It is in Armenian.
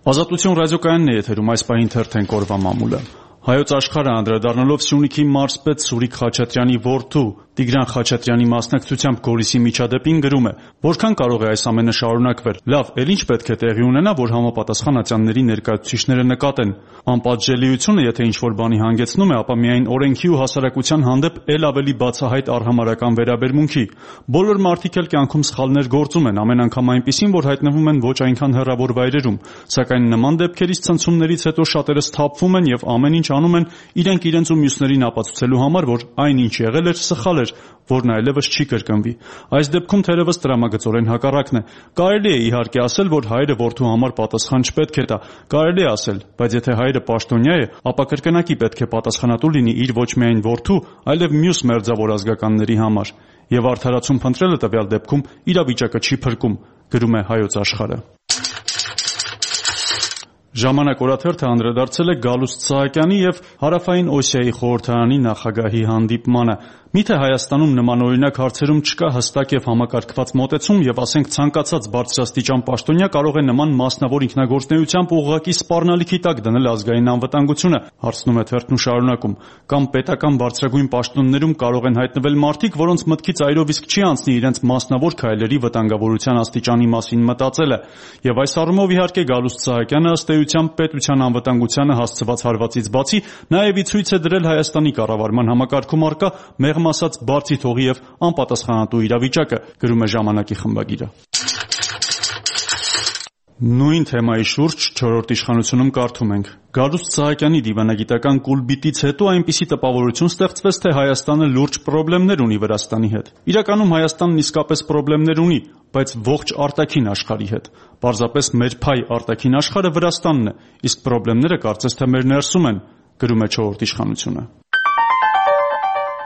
Ազատություն ռադիոկայանն է եթերում, այս պահին թերթենք օրվա մամուլը։ Հայոց աշխարհը անդրադառնալով Սյունիքի մարզպետ Սուրիկ Խաչատրյանի որդու Տիգրան Խաչատրյանի մասնակցությամբ Գորիսի միջադեպին գրում է. «Որքան կարող է այս ամենը շարունակվել։ Լավ, էլ ինչ պետք է տեղի ունենա, որ համապատասխան ատյանների ներկայացուցիչները նկատեն։ Անպատժելիությունը, եթե ինչ-որ բանի հանգեցնում է, ապա միայն օրենքի ու հասարակության հանդեպ էլ ավելի բացահայտ արհամարհական վերաբերմունքի։ Բոլոր մարդիկ էլ կյանքում սխալներ գործում են, ամեն անգամ այնպիսին, որ հայտնվում են ոչ այնքան հեռավոր վայրերում, սակայն նման դեպքերից ցնցումներից հետո շատերը սթափվում են եւ ամեն ինչ անում են իրենք իրենց ու մյուսներին ապացուցելու համար, որ այն ինչ եղել էր սխալ էր, որն այլևս չի կրկնվի։ Այս դեպքում թերևս տրամագծորեն հակառակն է։ Կարելի է իհարկե ասել, որ հայրը որդու համար պատասխան չպետք է տա։ Կարելի է ասել, բայց եթե հայրը պաշտոնյա է, ապա կրկնակի պետք է պատասխանատու լինի իր ոչ միայն որդու, այլև մյուս մերձավոր ազգականների համար։ Եվ արդարացում փնտրելը տվյալ դեպքում իրավիճակը չի փրկում», գրում է Հայոց աշխարհը։ Ժամանակ օրաթերթը անդրադարձել է Գալուստ Սահակյանի եւ Հարավային Օսիայի խորհրդարանի նախագահի հանդիպմանը։ Միթե Հայաստանում նմանօրինակ հարցերում չկա հստակ եւ համակարգված մոտեցում եւ ասենք ցանկացած բարձրաստիճան պաշտոնյա կարող է նման մասնավոր ինքնագործունեությամբ ուղղակի սպառնալիքի տակ դնել ազգային անվտանգությունը, հարցնում է թերթն ու շարունակում։ Կամ պետական բարձրագույն պաշտոններում կարող են հայտնվել մարդիկ, որոնց մտքից այրով իսկ չի անցնի իրենց մասնավոր քայլերի վտանգավորության աստիճանի մասին մտածելը։ Եվ այս առումով իհարկե Գալուստ Սահակյանը ըստ էության պետության անվտանգությանը հասցված հարվածից բացի նաեւ ի ցույց է դրել Հայաստանի կառավարման համակարգում առկա մեղմ ասած բարձի թողի եւ անպատասխանատու իրավիճակը, գրում է Ժամանակի խմբագիրը։ Նույն թեմայի շուրջ 4-րդ իշխանությունում կարդում ենք. Գալուստ Սահակյանի դիվանագիտական կուլբիտից հետո այնպիսի տպավորություն ստեղծվեց, թե Հայաստանը լուրջ խնդիրներ ունի Վրաստանի հետ։ Իրականում Հայաստանն իսկապես խնդիրներ ունի, բայց ողջ արտաքին աշխարհի հետ։ Պարզապես մեր փայ արտաքին աշխարհը Վրաստանն է, իսկ խնդիրները կարծես թե մեր ներսում են, գրում է 4-րդ իշխանությունը։